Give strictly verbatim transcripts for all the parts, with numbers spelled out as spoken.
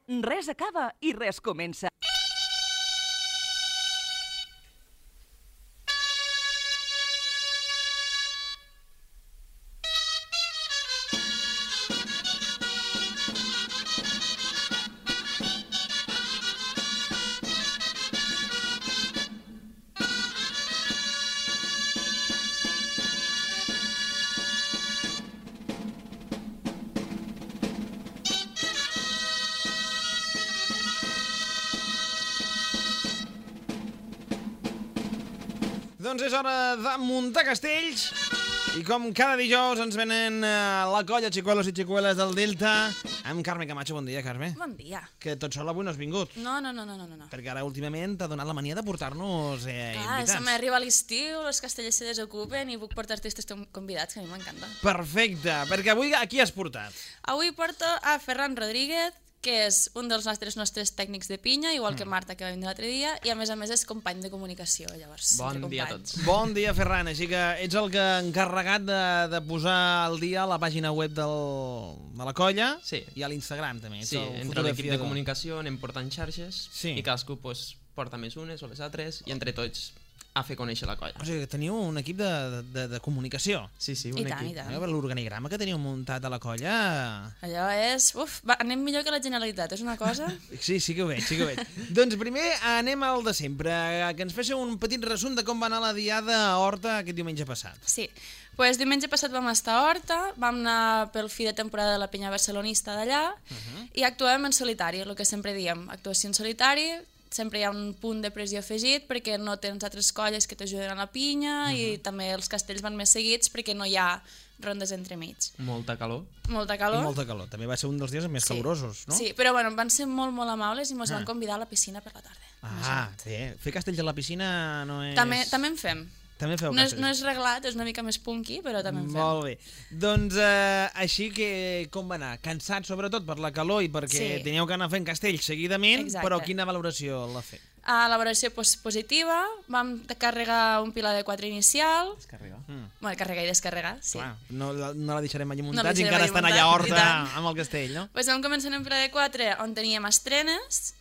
Res acaba i res comença. Doncs és hora de muntar castells i com cada dijous ens venen uh, la colla xicuelos i xicueles del Delta amb Carme Camacho. Bon dia, Carme. Bon dia. Que tot sol avui no has vingut. No, no, no, no, no. no. Perquè ara últimament t'ha donat la mania de portar-nos eh, Clar, invitats. se m'arriba l'estiu, els castellers se desocupen i puc portar artistes convidats, que a mi m'encanta. Perfecte, perquè avui a qui has portat? Avui porto a Ferran Rodríguez, que és un dels nostres nostres tècnics de pinya, igual que Marta, que va vindre l'altre dia, i a més a més és company de comunicació, llavors. Bon dia a tots. Bon dia, Ferran. Així que ets el que encarregat de, de posar al dia la pàgina web del, de la colla sí. i a l'Instagram també. Sí, entre l'equip de comunicació anem portant xarxes sí. i cadascú pues, porta més unes o les altres i entre tots a fer conèixer la colla. O sigui que teniu un equip de, de, de comunicació. Sí, sí, un I equip. tant, i tant. L'organigrama que teniu muntat a la colla... Allò és... Uf, va, anem millor que la Generalitat, és una cosa... Sí, sí que ho veig, sí que ho veig. Doncs primer anem al de sempre, que ens féssiu un petit resum de com va anar la diada a Horta aquest diumenge passat. Sí, pues diumenge passat vam estar a Horta, vam anar pel fi de temporada de la penya barcelonista d'allà uh -huh. i actuàvem en solitari, el que sempre diem, actuació en solitari. Sempre hi ha un punt de pressió afegit perquè no tens altres colles que t'ajuden a la pinya uh -huh. i també els castells van més seguits perquè no hi ha rondes entremig. Molta calor. Molta calor. I molta calor. També va ser un dels dies més sí. calorosos, no? Sí, però bueno, van ser molt, molt amables i ens ah. van convidar a la piscina per la tarda. Ah, bé. Fer castells a la piscina no és... També, també en fem. També feu no és, no és reglat, és una mica més punky, però també en fem. Molt bé. Doncs eh, així que com va anar? Cansat sobretot per la calor i perquè sí. teníeu que anar fent castells seguidament, exacte. Però quina valoració l'ha fet? A la valoració pues, positiva, vam carregar un pilar de quatre inicial. Descarregar. Mm. Bueno, carregar i descarregar, sí. Clar, no, no la deixarem allà muntats no i encara estan allà a Horta amb el castell, no? Pues vam començar en un pilar de quatre on teníem estrenes.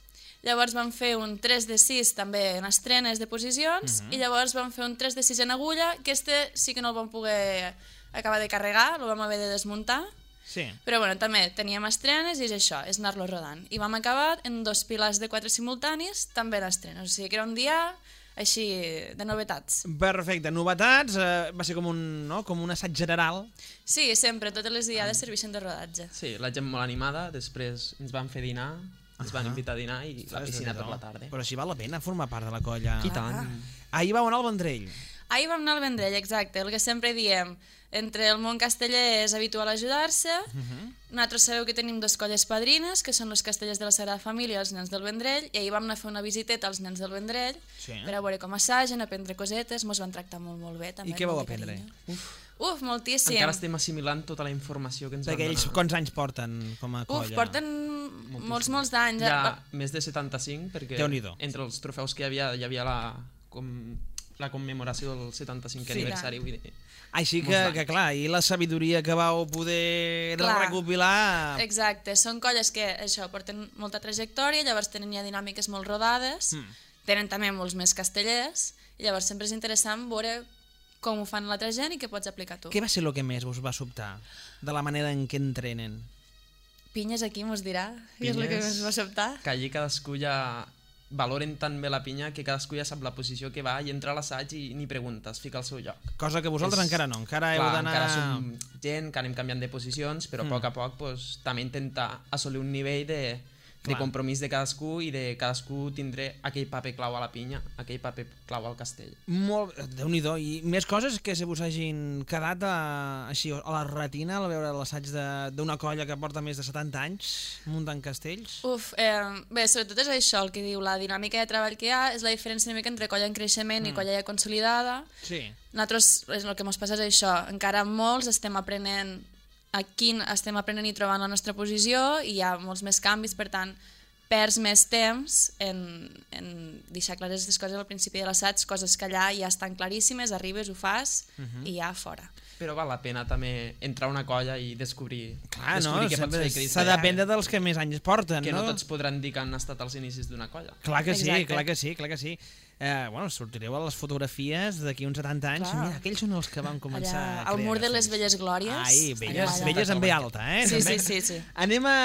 Llavors vam fer un tres de sis també en estrenes de posicions uh -huh. i llavors vam fer un tres de sis en agulla, que este sí que no el vam poder acabar de carregar, el vam haver de desmuntar. Sí. Però bueno, també teníem estrenes i és això, és anar-lo rodant. I vam acabar en dos pilars de quatre simultanis, també en estrenes. O sigui que era un dia així de novetats. Perfecte, novetats, eh, va ser com un, no? com un assaig general. Sí, sempre, totes les diades serveixen de rodatge. Sí, la gent molt animada, després ens van fer dinar, ens van invitar a dinar i la piscina per la tarda. Però així val la pena formar part de la colla. I tant. Ahir vau anar al Vendrell. Ahir vam anar al Vendrell, exacte, el que sempre diem. Entre el món casteller és habitual ajudar-se. Uh -huh. Nosaltres sabeu que tenim dos colles padrines, que són els castellers de la Sagrada Família i els nens del Vendrell, i ahir vam anar a fer una visiteta als nens del Vendrell sí. per a veure com assagen, aprendre cosetes, mos van tractar molt, molt bé. També, I què vau aprendre? Uf. Uf, moltíssim. Encara estem assimilant tota la informació que ens Perquè van donar. ells quants anys porten com a colla? Uf, porten moltíssim. molts, molts d'anys. Ja més de setanta-cinc, perquè Déu-n'hi-do. entre els trofeus que hi havia, hi havia la, com, la commemoració del setanta-cinquè sí, aniversari. Vull dir, així que, que clar, i la sabidoria que vau poder clar. recopilar... Exacte, són colles que això porten molta trajectòria, llavors tenen ja dinàmiques molt rodades, mm. tenen també molts més castellers, i llavors sempre és interessant veure com ho fan l'altra gent i què pots aplicar tu. Què va ser el que més us va sobtar de la manera en què entrenen? Pinyes aquí mos dirà, què és el que més va sobtar? Que allí cadascú ja valoren tan bé la pinya que cadascú ja sap la posició que va i entra a l'assaig i ni preguntes, fica al seu lloc. Cosa que vosaltres és, encara no, encara heu d'anar... Encara som gent que anem canviant de posicions, però a mm. poc a poc pues, també intentar assolir un nivell de, de compromís de cadascú i de cadascú tindre aquell paper clau a la pinya, aquell paper clau al castell. Molt, Déu-n'hi-do, i més coses que se vos hagin quedat a, així, a la retina al veure l'assaig d'una colla que porta més de setanta anys muntant castells? Uf, eh, bé, sobretot és això el que diu, la dinàmica de treball que hi ha és la diferència una mica entre colla en creixement mm. i colla ja consolidada. Sí. Nosaltres, el que ens passa és això, encara molts estem aprenent aquí estem aprenent i trobant la nostra posició i hi ha molts més canvis, per tant, perds més temps en, en deixar clares les coses al principi de l'assaig, coses que allà ja estan claríssimes, arribes, ho fas uh-huh. i ja fora. Però val la pena també entrar a una colla i descobrir, Clar, descobrir no? què pots fer. S'ha d'aprendre dels que més anys porten, que no? no tots podran dir que han estat als inicis d'una colla. Clar que sí, Exacte. clar que sí, clar que sí. Eh, bueno, sortireu a les fotografies d'aquí uns setanta anys. Clar. Mira, aquells són els que van començar Allà, a al crear mur de les castells. velles glòries. Ai, velles, allà. velles amb B alta, eh? Sí, també. sí, sí, sí. Anem, a,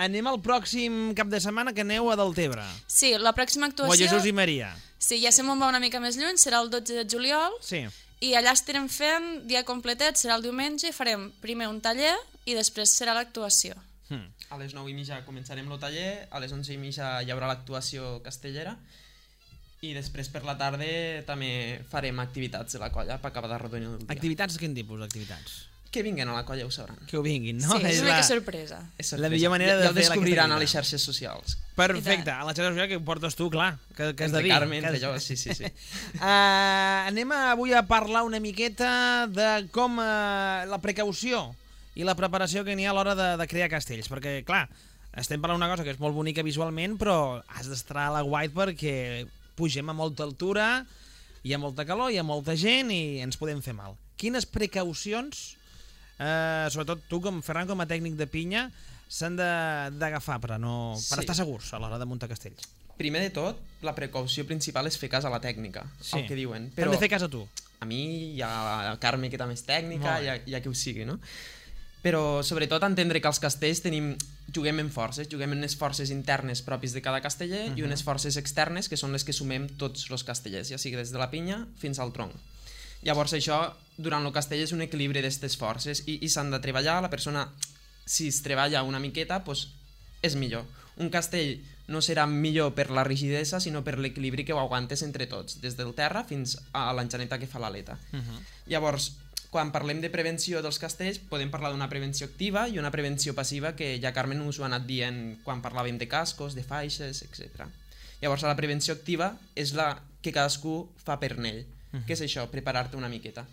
anem al pròxim cap de setmana que aneu a Deltebre. Sí, la pròxima O a actuació... Jesús i Maria. Sí, ja sé on va una mica més lluny, serà el dotze de juliol, Sí. i allà estarem fent dia completet, serà el diumenge, i farem primer un taller i després serà l'actuació. Hmm. A les nou i mitja començarem el taller, a les onze i mitja hi haurà l'actuació castellera i després per la tarda també farem activitats de la colla per acabar d'arrodonir el dia. Activitats, quin tipus d'activitats? Que vinguen a la colla ho sabran. Que ho vinguin, no? Sí, és una la... mica sorpresa. És La sorpresa. millor manera de ja, ja ho fer la descobriran a activitat. les xarxes socials. Perfecte, a la xarxa social que ho portes tu, clar, que, que has de Entre dir. Carmen, que has- entre jo, sí, sí, sí. Uh, anem a, avui a parlar una miqueta de com uh, la precaució i la preparació que n'hi ha a l'hora de, de crear castells, perquè, clar, estem parlant d'una cosa que és molt bonica visualment, però has d'estar a la guait perquè pugem a molta altura, hi ha molta calor, hi ha molta gent i ens podem fer mal. Quines precaucions, uh, sobretot tu, com Ferran, com a tècnic de pinya, s'han de- d'agafar per, a no, per Sí. estar segurs a l'hora de muntar castells? Primer de tot, la precaució principal és fer cas a la tècnica, Sí. el que diuen. Però... Però Hem de fer cas a tu. a mi hi ha el Carme, que també és tècnica, Molt bé. hi ha, hi ha qui ho sigui, no? Però sobretot entendre que els castells tenim, juguem en forces, juguem en unes forces internes propis de cada casteller uh -huh. i unes forces externes que són les que sumem tots els castellers, ja sigui des de la pinya fins al tronc. Llavors això, durant el castell, és un equilibri d'aquestes forces i, i s'han de treballar, la persona, si es treballa una miqueta, doncs és millor. Un castell no serà millor per la rigidesa, sinó per l'equilibri que ho aguantes entre tots, des del terra fins a l'enxaneta que fa l'aleta. Uh -huh. Llavors, quan parlem de prevenció dels castells, podem parlar d'una prevenció activa i una prevenció passiva, que ja Carmen us ho ha anat dient quan parlàvem de cascos, de faixes, etcètera. Llavors, la prevenció activa és la que cadascú fa per ell. Uh-huh. Què és això? Preparar-te una miqueta.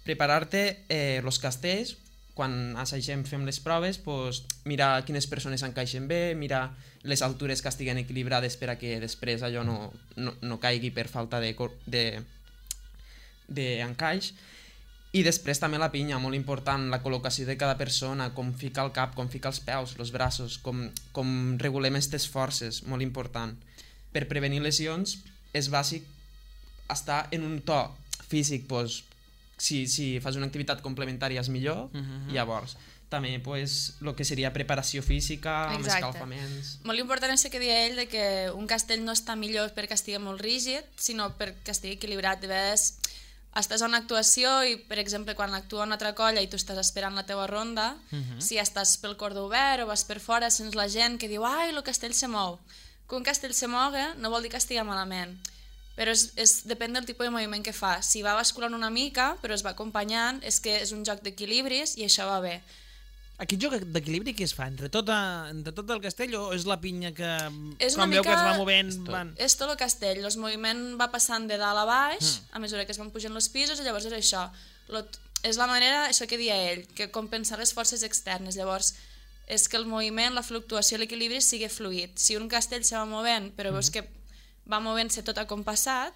Preparar-te eh, els castells, quan assagem, fem les proves, pues, mirar quines persones encaixen bé, mirar les altures que estiguen equilibrades per a que després allò no, no, no caigui per falta de, cor- de, d'encaix. I després també la pinya, molt important, la col·locació de cada persona, com fica el cap, com fica els peus, els braços, com, com regulem aquestes forces, molt important. Per prevenir lesions és bàsic estar en un to físic, doncs, si, si fas una activitat complementària és millor, uh-huh. llavors també pues, el que seria preparació física, amb Exacte. escalfaments... Molt important és el que deia ell, de que un castell no està millor perquè estigui molt rígid, sinó perquè estigui equilibrat. De vegades estàs a una actuació i, per exemple, quan actua una altra colla i tu estàs esperant la teua ronda, uh-huh. si estàs pel cordó obert o vas per fora, sents la gent que diu «Ai, el castell se mou». Que un castell se mogui no vol dir que estigui malament, però és, és, depèn del tipus de moviment que fa. Si va basculant una mica, però es va acompanyant, és que és un joc d'equilibris i això va bé. Aquest joc d'equilibri què es fa? Entre tot, a, entre tot el castell o és la pinya que, És quan una veu mica- que es va movent... És tot. Van... És tot el castell, el moviment va passant de dalt a baix mm. a mesura que es van pujant els pisos i llavors és això. Lo, és la manera, això que dia ell, que compensar les forces externes. Llavors és que el moviment, la fluctuació, l'equilibri sigui fluid. Si un castell se va movent però veus que va movent-se tot acompassat,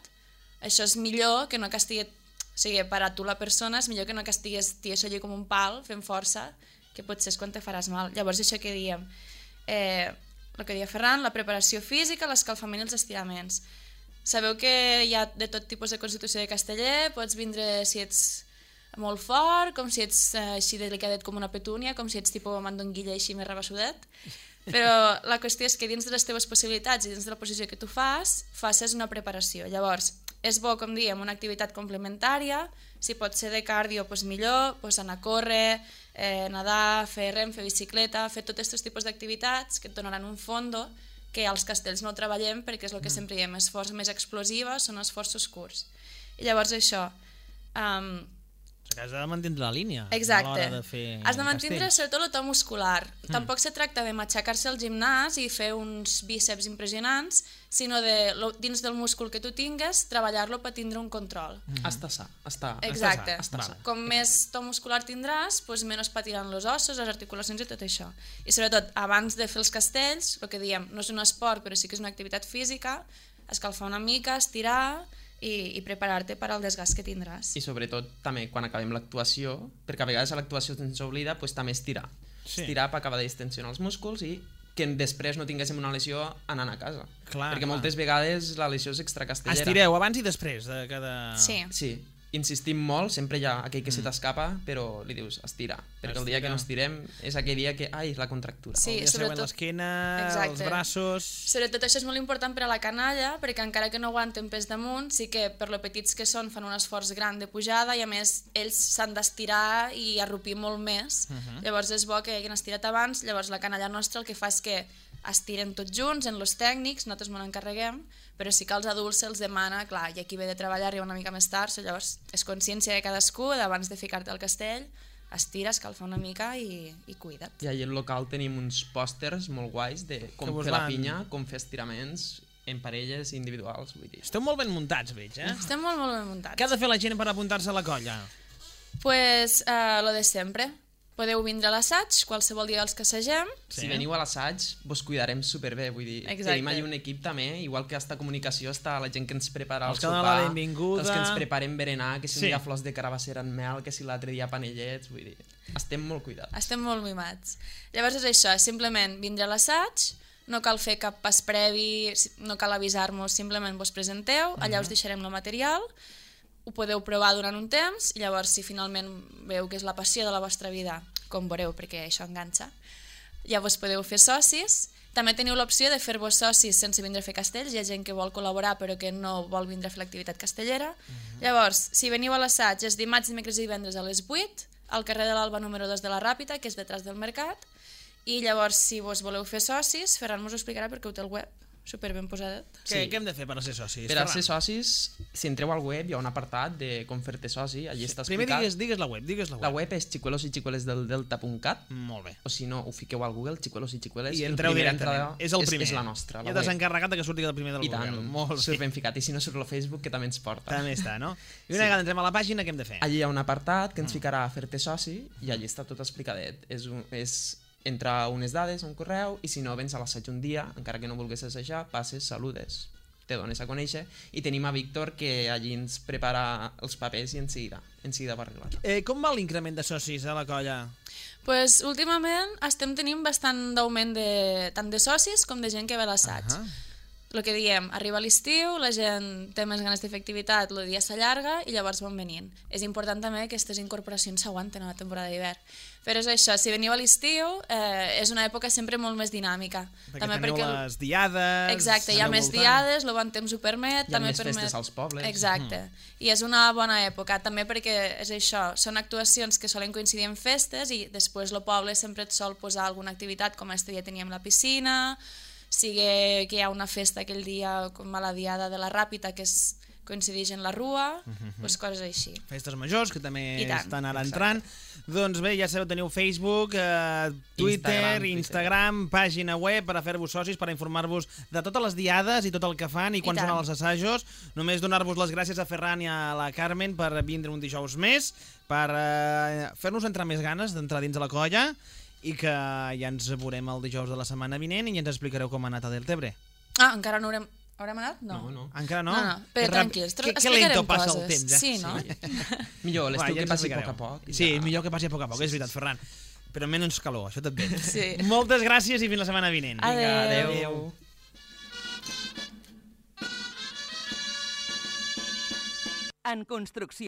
això és millor que no que estigui, o sigui, per a tu la persona és millor que no que estigués tieso allí com un pal fent força, que potser és quan te faràs mal. Llavors això que diem, eh, el que deia Ferran, la preparació física, l'escalfament i els estiraments. Sabeu que hi ha de tot tipus de constitució de casteller, pots vindre si ets molt fort, com si ets eh, així delicadet com una petúnia, com si ets tipus mandonguilla així més rabassudet, però la qüestió és que dins de les teves possibilitats i dins de la posició que tu fas, facis una preparació. Llavors, és bo, com diem, una activitat complementària, si pot ser de cardio, doncs millor, doncs anar a córrer, eh, nedar, fer rem, fer bicicleta, fer tots aquests tipus d'activitats que et donaran un fondo que als castells no treballem perquè és el que sempre diem, és força més explosiva, són esforços curts. I llavors això, um, Perquè has de mantindre la línia Exacte. a l'hora de fer Has de mantindre castells. sobretot el to muscular. Mm. Tampoc se tracta de matxacar-se al gimnàs i fer uns bíceps impressionants, sinó de, lo, dins del múscul que tu tingues, treballar-lo per tindre un control. Mm. Està sa, està... Exacte. Està sa. Com més to muscular tindràs, doncs menys patiran els ossos, les articulacions i tot això. I sobretot, abans de fer els castells, el que diem, no és un esport, però sí que és una activitat física, escalfar una mica, estirar i, i preparar-te per al desgast que tindràs. I sobretot també quan acabem l'actuació, perquè a vegades a l'actuació se'ns oblida, doncs també estirar. Sí. Estirar per acabar de distensionar els músculs i que després no tinguéssim una lesió anant a casa. Clar, perquè clar. moltes vegades la lesió és extracastellera. Estireu abans i després de cada... Sí. Sí, insistim molt, sempre hi ha aquell que mm. se t'escapa, però li dius estira, perquè el dia que no estirem és aquell dia que, ai, la contractura. Sí, el dia següent sobretot- l'esquena, Exacte. els braços... Sobretot això és molt important per a la canalla, perquè encara que no aguanten pes damunt, sí que per lo petits que són fan un esforç gran de pujada i a més ells s'han d'estirar i arrupir molt més. Uh -huh. Llavors és bo que hagin estirat abans, llavors la canalla nostra el que fa és que estiren tots junts en los tècnics, nosaltres me n'encarreguem, però sí que als adults se'ls demana, clar, i aquí ve de treballar, arriba una mica més tard, llavors és consciència de cadascú, d'abans de ficar-te al castell, estira, escalfa una mica i, i cuida't. I allà al local tenim uns pòsters molt guais de com Que vos fer la van- pinya, com fer estiraments en parelles individuals, vull dir. Esteu molt ben muntats, veig, eh? Estem molt, molt ben muntats. Què ha de fer la gent per apuntar-se a la colla? Pues eh, lo de sempre. Podeu vindre a l'assaig, qualsevol dia els que assagem. Sí. Si veniu a l'assaig, vos cuidarem superbé, vull dir, Exacte. tenim allà un equip també, igual que hasta comunicació està la gent que ens prepara el Els que donen sopar, la benvinguda. els que ens preparen berenar, que si Sí. un dia flors de carabassera en mel, que si l'altre dia panellets, vull dir, estem molt cuidats. Estem molt mimats. Llavors és això, és simplement vindre a l'assaig, no cal fer cap pas previ, no cal avisar-nos, simplement vos presenteu, allà us deixarem el material, ho podeu provar durant un temps i llavors si finalment veieu que és la passió de la vostra vida, com veureu perquè això enganxa, llavors podeu fer socis. També teniu l'opció de fer-vos socis sense vindre a fer castells, hi ha gent que vol col·laborar però que no vol vindre a fer l'activitat castellera. Uh-huh. Llavors, si veniu a l'assaig és dimarts, dimecres i divendres a les vuit, al carrer de l'Alba número dos de la Ràpita, que és detrás del mercat, i llavors si vos voleu fer socis, Ferran mos ho explicarà perquè ho té el web, super ben posadet. Què, Sí. què hem de fer per ser socis? Per a Ferran? ser socis, si entreu al web hi ha un apartat de com fer-te soci, allí està Primer explicat. digues, digues la web, digues la web. La web és xicuelos i xicueles del delta punt cat, Molt bé. o si no, ho fiqueu al Google, xicuelos i xicueles, I el entreu primer directament. entrada És el primer. És, és la nostra, la Ja t'has web. encarregat de que surti el primer del I tant, Google. Molt surt bé. ben ficat, i si no surt el Facebook, que també ens porta. També està, no? I una vegada entrem a la pàgina, què hem de fer? Allí hi ha un apartat que ens ficarà a fer-te soci i allí està tot explicadet. És, un, és entrar unes dades, un correu, i si no, vens a l'assaig un dia, encara que no vulguis assajar, passes, saludes, te dones a conèixer, i tenim a Víctor que allí ens prepara els papers i en seguida, en seguida va arreglar. Eh, com va l'increment de socis a la colla? Pues, últimament estem tenint bastant d'augment de, tant de socis com de gent que ve a l'assaig. Ahà. El que diem, arriba l'estiu, la gent té més ganes de fer activitat, el dia s'allarga i llavors van venint. És important també que aquestes incorporacions s'aguanten a la temporada d'hivern. Però és això, si veniu a l'estiu, eh, és una època sempre molt més dinàmica. Perquè també teniu perquè les diades... Exacte, hi ha aneu més voltant. diades, el bon temps ho permet. Hi ha també més permet... festes als pobles. Exacte, mm. I és una bona època, també perquè és això, són actuacions que solen coincidir en festes i després el poble sempre et sol posar alguna activitat, com aquest dia teníem la piscina, sigui que hi ha una festa aquell dia com a la diada de la Ràpita que es coincideix en la Rua, uh -huh. doncs coses així. Festes majors, que també I tant. estan ara entrant. Doncs bé, ja sabeu, teniu Facebook, eh, Twitter, Instagram, Instagram, pàgina web per a fer-vos socis, per a informar-vos de totes les diades i tot el que fan i quan I són tant. els assajos. Només donar-vos les gràcies a Ferran i a la Carmen per vindre un dijous més, per eh, fer-nos entrar més ganes d'entrar dins de la colla i que ja ens veurem el dijous de la setmana vinent i ja ens explicareu com ha anat a Deltebre. Ah, encara no haurem... Haurem anat? No. No, no. Encara no? No, no, però Que rap- tranquils, que, que explicarem lento passa coses. el temps, eh? Sí, no? Millor, Va, l'estiu ja que ens passi a poc explicareu. a poc. i Sí, ja. millor que passi a poc a poc, és veritat, Ferran. Però menys calor, això també. Sí. Moltes gràcies i fins la setmana vinent. Adéu. Vinga, adéu. Adéu. En construcció.